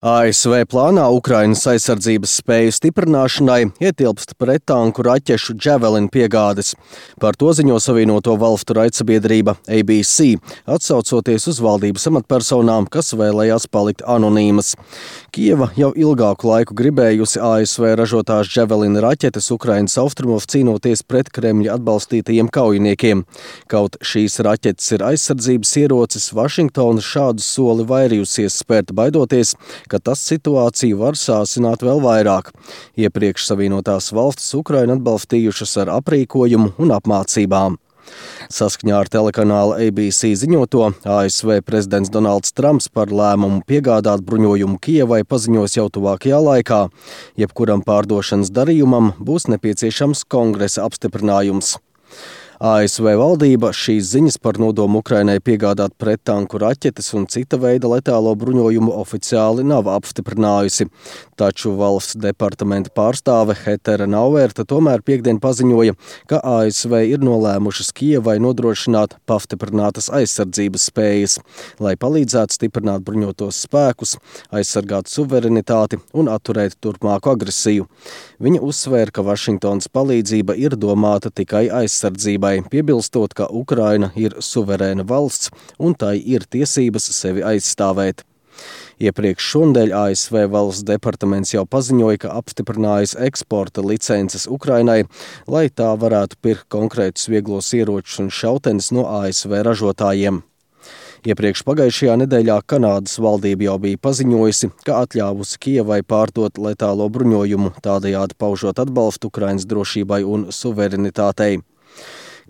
ASV plānā Ukrainas aizsardzības spēju stiprināšanai ietilpst prettanku raķešu Javelin piegādes. Par to ziņo Savienoto Valstu raidsabiedrība ABC, atsaucoties uz valdības amatpersonām, kas vēlējās palikt anonīmas. Kijeva jau ilgāku laiku gribējusi ASV ražotās Javelin raķetes Ukrainas austrumos cīnoties pret Kremļa atbalstītajiem kaujiniekiem. Kaut šīs raķetes ir aizsardzības ierocis, Vašingtona šādu soli vairījusies spērt, baidoties, ka tas situāciju var sāsināt vēl vairāk. Iepriekš Savienotās Valstis Ukrainu atbalstījušas ar aprīkojumu un apmācībām. Saskaņā ar telekanāla ABC ziņoto, ASV prezidents Donalds Trumps par lēmumu piegādāt bruņojumu Kijevai paziņos jau tuvākajā laikā. Jebkuram pārdošanas darījumam būs nepieciešams Kongresa apstiprinājums. ASV valdība šīs ziņas par nodomu Ukrainai piegādāt prettanku raķetes un cita veida letālo bruņojumu oficiāli nav apstiprinājusi. Taču valsts departamenta pārstāve Heather Nauerta tomēr piektdien paziņoja, ka ASV ir nolēmušas Kijevai nodrošināt pastiprinātas aizsardzības spējas, lai palīdzētu stiprināt bruņotos spēkus, aizsargāt suverenitāti un atturēt turpmāku agresiju. Viņa uzsvēra, ka Vašingtonas palīdzība ir domāta tikai aizsardzībai, piebilstot, ka Ukraina ir suverēna valsts un tai ir tiesības sevi aizstāvēt. Iepriekš šonedēļ ASV valsts departaments jau paziņoja, ka apstiprinājis eksporta licences Ukrainai, lai tā varētu pirkt konkrētus vieglos ieročus un šautenes no ASV ražotājiem. Iepriekš pagājušajā nedēļā Kanādas valdība jau bija paziņojusi, ka atļāvusi Kijevai pārdot letālo bruņojumu, tādējādi paužot atbalstu Ukrainas drošībai un suverenitātei.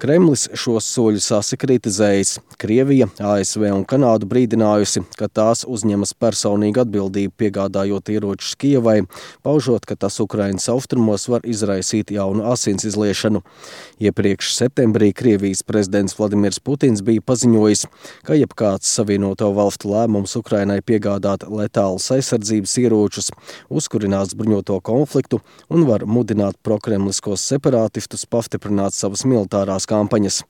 Kremlis šos soļus asi kritizējis. Krievija, ASV un Kanādu brīdinājusi, ka tās uzņemas personīgu atbildību piegādājot ieročus Kijevai, paužot, ka tas Ukrainas austrumos var izraisīt jaunu asins izliešanu. Iepriekš septembrī Krievijas prezidents Vladimirs Putins bija paziņojis, ka jebkāds Savienoto Valstu lēmums Ukrainai piegādāt letālus aizsardzības ieročus uzkurinās bruņoto konfliktu un var mudināt prokremliskos separātistus pastiprināt savas militārās kampaņas.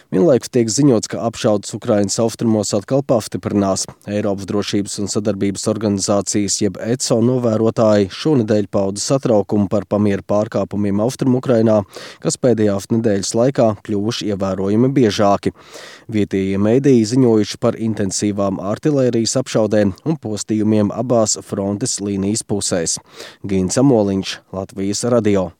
Vienlaikus tiek ziņots, ka apšaudes Ukrainas austrumos atkal pastiprinās. Eiropas drošības un sadarbības organizācijas jeb ECO novērotāji šonedēļ pauda satraukumu par pamiera pārkāpumiem Austrumu-Ukrainā, kas pēdējās nedēļas laikā kļuvuši ievērojami biežāki. Vietējie mediji ziņojuši par intensīvām artilērijas apšaudēm un postījumiem abās frontes līnijas pusēs. Gins Amoliņš, Latvijas radio.